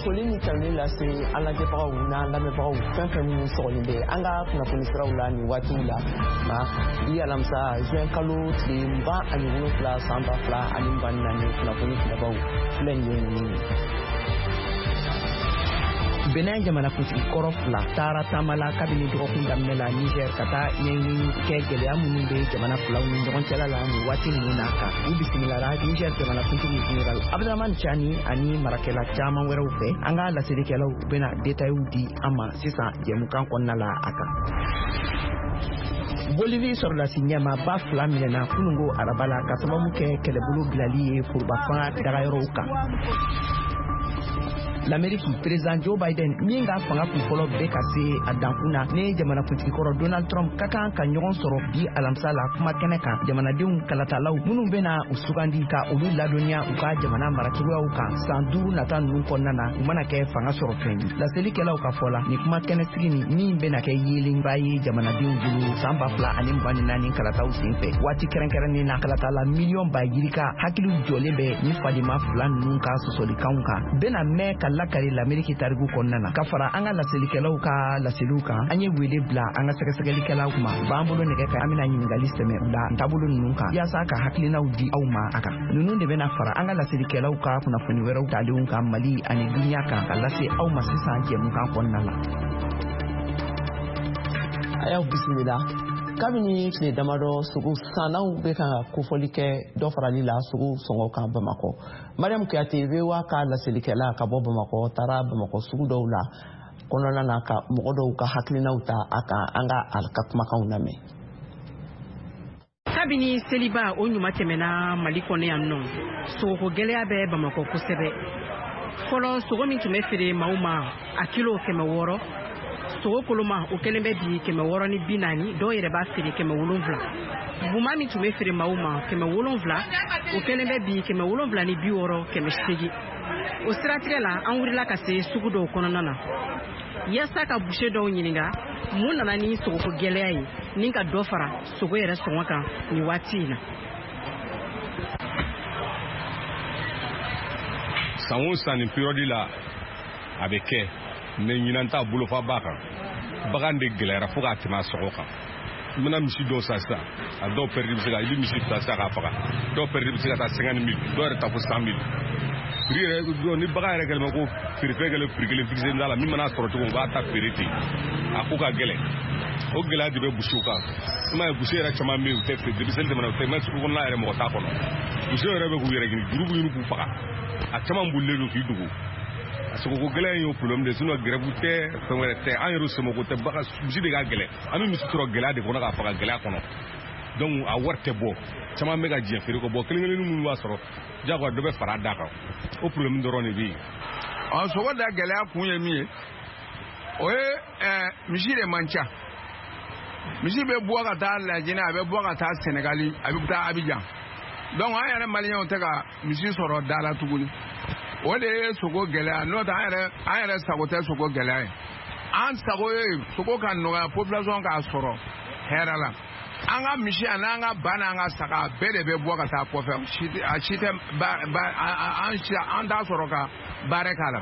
Foli ni tanuni lase an lajɛbagaw n'an lamɛnbagaw fɛn fɛn minnu sɔgɔlen bɛ an ka kunnafoni siraw la nin waatiw la ma bi alamisa juin kalo tile 27 san 2024 kunnafoni kumabaw filɛ nin ye ninnu ye. Benin jamanakuntigi kɔrɔ fila taara taama la kabini dɔgɔkun daminɛ la Niger ka taa ɲɛɲini kɛ gɛlɛya minnu bɛ jamana filaw ni ɲɔgɔn cɛla la nin waati ninnu na kan. U bisimilara Niger jamanakuntigi Général Abdramane Tiani ani marakɛla caman wɛrɛw fɛ. An ka laselikɛlaw bɛna détails di an ma sisan jɛmukan kɔnɔna la a kan. Bolivie sɔrɔdasi ɲɛmaaba fila minɛna kununko araba la ka sababu kɛ kɛlɛbolo bilali ye foroba fanga dagayɔrɔw kan. L'Amérique, président Joe Biden min ka fanga kunfɔlɔ bɛ ka se a dankun na ni jamanakuntigi kɔrɔ Donald Trump ka kan ka ɲɔgɔn sɔrɔ bi alamisa la kuma kɛnɛ kan jamanadenw kalatalaw minnu bɛna u sugandi ka olu ladɔnniya u ka jamana maracogoyaw kan san 5 nata ninnu kɔnɔna na u mana kɛ fanga sɔrɔ fɛn ye. Laselikɛlaw ka fɔ la, nin kuma kɛnɛsigi nin min bɛna kɛ yeelenba ye jamanadenw bolo san 2024 kalataw senfɛ, waati kɛrɛnkɛrɛnnen na kalatala miliyɔn ba yirika hakiliw jɔlen bɛ ni fadima fila ninnu ka sɔsɔlikanw kan bɛna mɛn ka lakari l'Amérique tariku kɔnɔna na. Ka fara an ka laselikɛlaw ka laseliw kan, an ye wele bila an ka sɛgɛsɛgɛlikɛlaw ma u b'an bolo nɛgɛ kan, an bɛna ɲininkali sɛmɛ u la taabolo ninnu kan yaasa ka hakilinaw di aw ma a kan. Ninnu de bɛna fara an ka laselikɛlaw ka kunnafoni wɛrɛw talenw kan Mali ani duniya kan ka lase aw ma sisan jɛmukan kɔnɔna la. A y'aw bisimila. Kabini tile damadɔ sogo sannaw bɛ ka kofɔli kɛ dɔ farali la sogo sɔngɔ kan Bamakɔ. Mariam Kuyate VOA ka laselikɛla ka bɔ Bamakɔ taara Bamakɔ sugu dɔw la kɔnɔna na ka mɔgɔ dɔw ka hakilinaw ta a kan, an ka a ka kumakanw lamɛn. Kabini seliba o ɲuman tɛmɛna Mali kɔnɔ yan nɔ, sogoko gɛlɛya bɛ Bamakɔ kosɛbɛ. Fɔlɔ sogo min tun bɛ feere maaw ma a kilo 600, sogo koloma o kɛlen bɛ bi 640, dɔw yɛrɛ b'a feere 700. Buma min tun bɛ feere maaw ma 700, o kɛlen bɛ bi 760, 800. O siratigɛ la, an wulila ka se sugu dɔw kɔnɔna na yaasa ka boucher dɔw ɲininka mun nana ni sogoko gɛlɛya ye ni ka dɔ fara sogo yɛrɛ sɔngɔ kan nin waati in na. San o san nin période la a bɛ kɛ, mais ɲinan ta bolofa b'a kan. Bagan de gɛlɛyara fo k'a tɛmɛ a sɔngɔ kan. I mana misi dɔw san sisan, a dɔw pɛridi bɛ se ka, i bɛ misi fila sisan k'a faga, dɔw pɛridi bɛ se ka taa 50 000, dɔw yɛrɛ ta fo 100 000. Prix yɛrɛ ni bagan yɛrɛ kɛlen bɛ ko feerefɛn kɛlen prix kelen fixé t'a la, min mana sɔrɔ cogo o b'a ta feere ten, a ko ka gɛlɛn. O gɛlɛya de bɛ boucherw kan. I m'a ye, boucher yɛrɛ caman bɛ yen, u tɛ feere depuis seli tɛmɛna, u tɛ mɛ sugu kɔnɔna yɛrɛ mɔgɔ t'a kɔnɔ. Boucher yɛrɛ bɛ k'u yɛrɛ ɲini, juru b'u ɲini k'u faga, a caman bolilen don k'i dogo. A sogoko gɛlɛya in y'o problème de ye, sinon grève tɛ, fɛn wɛrɛ tɛ, an yɛrɛ somɔgɔw tɛ. Bagan misi de ka gɛlɛn, an bɛ misi sɔrɔ gɛlɛya de kɔnɔ k'a faga gɛlɛya kɔnɔ, donc a wari tɛ bɔ. Caman bɛ ka jɛn feere kɔ bɔ, kelen kelennin minnu b'a sɔrɔ jagoya dɔ bɛ fara a da kan, o problème dɔrɔn de bɛ yen. Ɔ, sogo da gɛlɛya kun ye min ye, o ye misi de man ca. Misi bɛ bɔ ka taa Lajinɛ, a bɛ bɔ ka taa Sɛnɛgali, a bɛ taa Abijan, donc an yɛrɛ maliyɛnw tɛ ka misi sɔrɔ da la tuguni. O de ye sogo gɛlɛya. N'o tɛ, an yɛrɛ sago tɛ sogo gɛlɛya ye. An sago ye sogo ka nɔgɔya, population k'a sɔrɔ hɛrɛ la. An ka misi ani an ka ba n'an ka saga bɛɛ de bɛ bɔ ka taa kɔfɛ, a si tɛ ba ba an si an t'a sɔrɔ ka baara k'a la.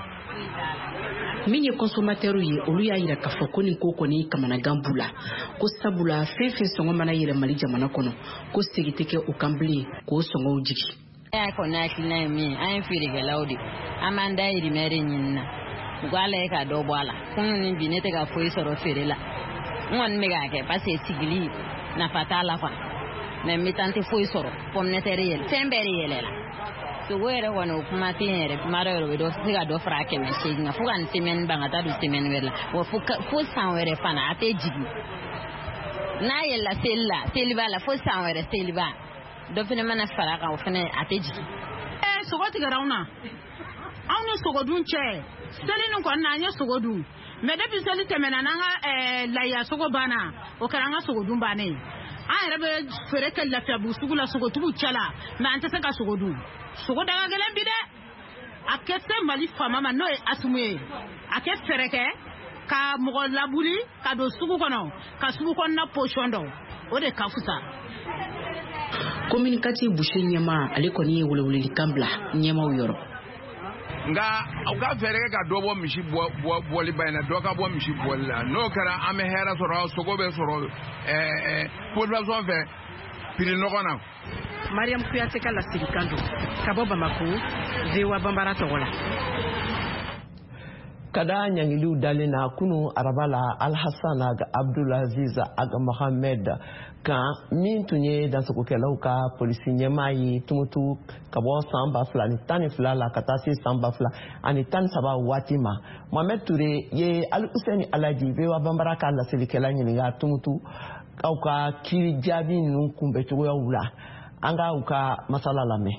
Min ye consommateur ye, olu y'a yira k'a fɔ ko nin ko kɔni kamanagan b'u la, ko sabula fɛn fɛn sɔngɔ mana yɛlɛ Mali jamana kɔnɔ, ko segin tɛ kɛ o kan bilen k'o sɔngɔw jigi. Ne y'a kɔni hakilina ye min ye, an ye feerekɛlaw de, an b'an dayirimɛ de ɲini na, u k'a lajɛ ka dɔ bɔ a la. Kunun ni bi, ne tɛ ka foyi sɔrɔ feere la. N kɔni bɛ k'a kɛ parce que sigili nafa t'a la quoi, mais n bɛ taa, n tɛ foyi sɔrɔ. Pomme de terre yɛlɛ, fɛn bɛɛ de yɛlɛla. Sogo yɛrɛ kɔni, o kuma tɛ yen yɛrɛ. Kuma dɔ yɛrɛ, o bɛ dɔ se ka dɔ fara a 800 kan fo ka nin semaine ban ka taa don semaine wɛrɛ la wa, fo san wɛrɛ fana a tɛ jigin. N'a yɛlɛla seli la, seliba la, fo san wɛrɛ seliba, dɔ fana mana fara a kan, o fana a tɛ jigin. Ee, sogo tigɛra anw na. Anw ni sogo dun cɛ, seli nin kɔni na, an ye sogo dun, mais depuis seli tɛmɛna n'an ka layiya sogo banna, o kɛra an ka sogo dun bannen ye. An yɛrɛ bɛ feere kɛ Lafiyabugu sugu la, sogotigiw cɛ la, mais an tɛ se ka sogo dun. Sogo da ka gɛlɛn bi dɛ. A kɛ se Mali faama ma, n'o ye Asimu ye, a kɛ fɛɛrɛ kɛ ka mɔgɔ labuli ka don sugu kɔnɔ, ka sugu kɔnɔna position dɔn, o de ka fisa. Commune 4 boucher ɲɛma, ale kɔni ye welewelelikan bila ɲɛmaw yɔrɔ. Nka u ka fɛɛrɛ kɛ ka dɔ bɔ misi bɔliba in na, dɔ ka bɔ misi bɔli la. N'o kɛra, an bɛ hɛrɛ sɔrɔ, sogo bɛ sɔrɔ population fɛ prix nɔgɔ na. Mariam Kuyate ka laselikan don ka bɔ Bamako, VOA Banbara tɔgɔ la. Ka da ɲangiliw dalen na kunu araba la Alhassan Ag Abdulaziz Ag Mohamed kan, min tun ye dansogokɛlaw ka polisi ɲɛmaa ye Tumutu ka bɔ san 2012 la ka taa se san 2013 waati ma, Mohamed Ture ye Alhuseni Alaji, VOA Banbara ka laselikɛla, ɲininka Tumutu aw ka kiiri jaabi ninnu kunbɛcogoyaw la. An ka u ka masala lamɛn.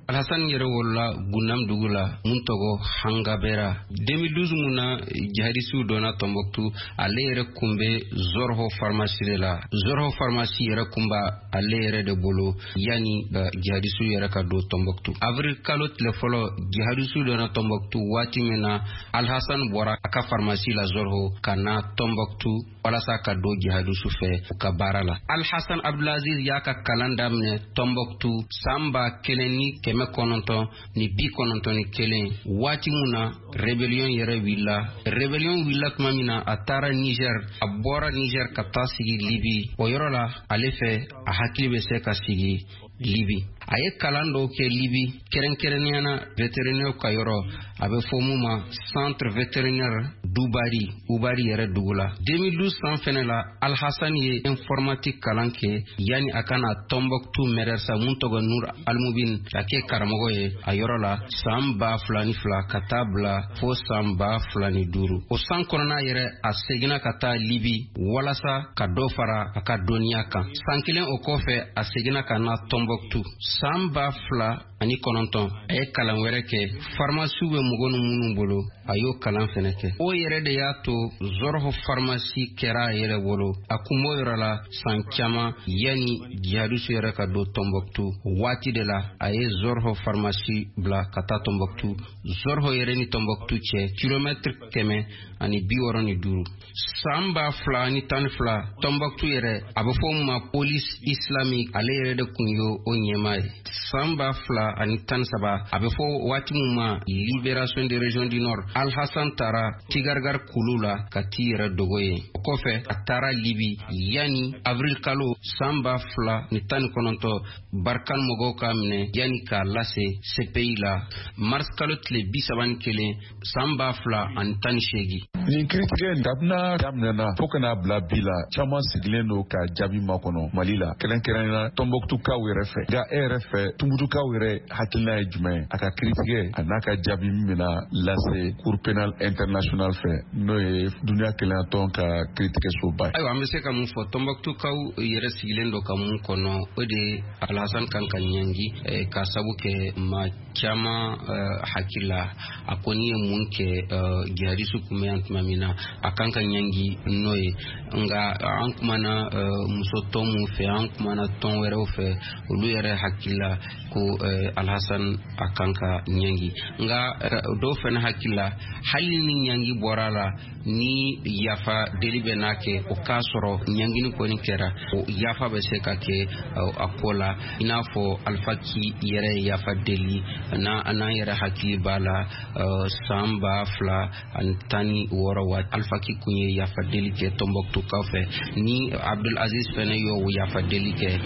Alhassan yɛrɛ wolola Gundam dugu la mun tɔgɔ Hangabera. 2012 mun na jihadisiw donna Tombouctou, ale yɛrɛ kun bɛ Zorho pharmacie de la. Zorho pharmacie yɛrɛ kun b'a ale yɛrɛ de bolo yani jihadisiw yɛrɛ ka don Tombouctou. Avril kalo tile fɔlɔ, jihadisiw donna Tombouctou waati min na, Alhassan bɔra a ka pharmacie la Zorho ka na Tombouctou walasa ka don jihadisiw fɛ u ka baara la. Alhassan Abdulaziz y'a ka kalan daminɛ Tombouctou san 1991, waati mun na rébellion yɛrɛ wulila. Rébellion wulila tuma min na, a taara Niger. A bɔra Niger ka taa sigi Libi. O yɔrɔ la, ale fɛ, a hakili bɛ se ka sigi Libi. A ye kalan dɔw kɛ Libi, kɛrɛnkɛrɛnnenya na vétérinaire ka yɔrɔ, a bɛ fɔ mun ma centre vétérinaire d'Ubari, Ubari yɛrɛ dugu la. 2012 san fɛnɛ la, Alhassan ye informatique kalan kɛ yani a ka na Tombouctou mɛrɛsa mun tɔgɔ Nur Almubin ka kɛ karamɔgɔ ye a yɔrɔ la san 2002 ka taa bila fo san 2005. O san kɔnɔna yɛrɛ, a seginna ka taa Libi walasa ka dɔ fara a ka dɔnniya kan. San kelen o kɔfɛ, a seginna ka na Tombouctou. San 2009, a ye kalan wɛrɛ kɛ, farimasiw bɛ mɔgɔ ni minnu bolo, a y'o kalan fɛnɛ kɛ. O yɛrɛ de y'a to Zorho pharmacie kɛra a yɛrɛ bolo. A kun b'o yɔrɔ la san caman yanni jihadisiw yɛrɛ ka don Tombouctou. Waati de la a ye Zorho pharmacie bila ka taa Tombouctou. Zorho yɛrɛ ni Tombouctou cɛ kilomɛtiri 165. San 2012, Tombouctou yɛrɛ, a bɛ fɔ min ma police islamique, ale yɛrɛ de kun ye o ɲɛmaa ye. San 2013, a bɛ fɔ waati min ma libération des régions du nord, Alhassan taara Tigargar kulu la ka t'i yɛrɛ dogo yen. O kɔfɛ, a taara Libi yanni avril kalo san 2019, Barkan mɔgɔw k'a minɛ yanni k'a lase CPI la mars kalo tile 31 san 2018. Nin kiritigɛ kabina daminɛna fo ka n'a bila bi la, caman sigilen don ka jaabi makɔnɔ Mali la, kɛrɛnkɛrɛnnenya Tɔnbɔkutukaw yɛrɛ fɛ. Nka e yɛrɛ fɛ, Tumutukaw yɛrɛ hakilina ye jumɛn ye a ka kiritigɛ a n'a ka jaabi min bɛna lase Cour pénale internationale fɛ, n'o ye duniya kelenyatɔn ka kiritigɛsoba ye? Ayiwa, an bɛ se ka mun fɔ? Tɔnbɔkutukaw yɛrɛ sigilen don ka mun kɔnɔ, o de ye Alhassan kan ka ɲangi, ka sabu kɛ maa caman hakili la, a kɔni ye mun kɛ jihadisiw kun bɛ yan tuma min na, a kan ka ɲangi n'o ye. Nka an kumana muso tɔn mun fɛ, an kumana tɔn wɛrɛw fɛ, olu yɛrɛ hakili la ko Alhassan a kan ka ɲangi. Nka dɔw fana hakili la, hali ni ɲangi bɔra la, ni yafa deli bɛ n'a kɛ, o k'a sɔrɔ ɲangini kɔni kɛra, o yafa bɛ se ka kɛ a ko la, i n'a fɔ Alpha Ki yɛrɛ ye yafa deli. N'an yɛrɛ hakili b'a la, san 2016 waati, Alpha Ki kun ye yafa deli kɛ Tombouctoukaw fɛ. Ni Abdul Aziz fɛnɛ y'o yafa deli kɛ,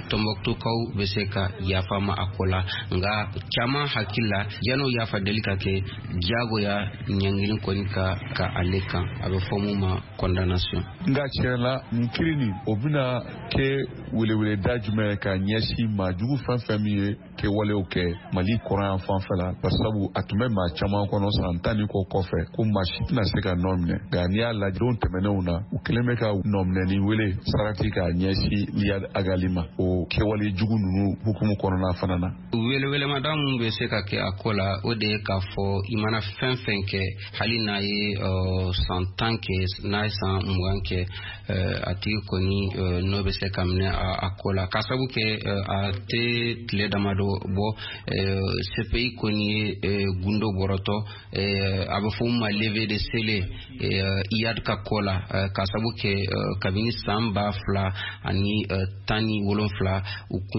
Tombouctoukaw bɛ se ka yafa ma a ko la. Nka caman hakili la, yan'o yafa deli ka kɛ, diyagoya ɲangili kɔni ka ale kan, a bɛ fɔ mun ma condamnation. Nka tiɲɛ la, nin kiri nin, o bɛna kɛ weleweleda jumɛn ye ka ɲɛsin maa jugu fɛn fɛn min ye kɛwalew kɛ Mali kɔrɔyan fanfɛ la? Barisabu a tun bɛ maa caman kɔnɔ san 10 ni kɔ kɔfɛ ko maa si tɛna se ka nɔ minɛ. Nka n'i y'a lajɛ don tɛmɛnenw na, u kɛlen bɛ ka nɔminɛni wele sarati k'a ɲɛsin Iyad Ag Ghali ma o kɛwale jugu ninnu hukumu kɔnɔna fana na. Welewelema mun bɛ se ka kɛ a ko la, o de ye k'a fɔ i mana fɛn fɛn kɛ, hali n'a ye san 10 kɛ, n'a ye san 20 kɛ, a tigi kɔni n'o bɛ se ka minɛ a ko la, k'a sabu kɛ a tɛ tile damadɔ bɔ, CPI kɔni ye gundo bɔrɔtɔ, a bɛ fɔ min ma levée de scellé Iyad ka ko la, k'a sabu kɛ kabini san 2017 u kun